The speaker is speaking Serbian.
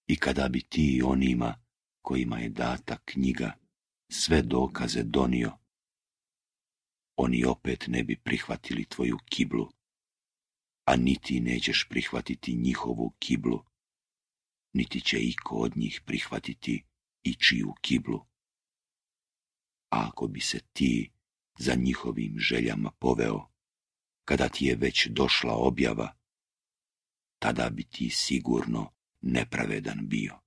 I kada bi ti onima kojima je data knjiga sve dokaze donio, oni opet ne bi prihvatili tvoju kiblu, a niti nećeš prihvatiti njihovu kiblu, niti će iko od njih prihvatiti ičiju kiblu. A ako bi se ti za njihovim željama poveo, kada ti je već došla objava, tada bi ti sigurno nepravedan bio.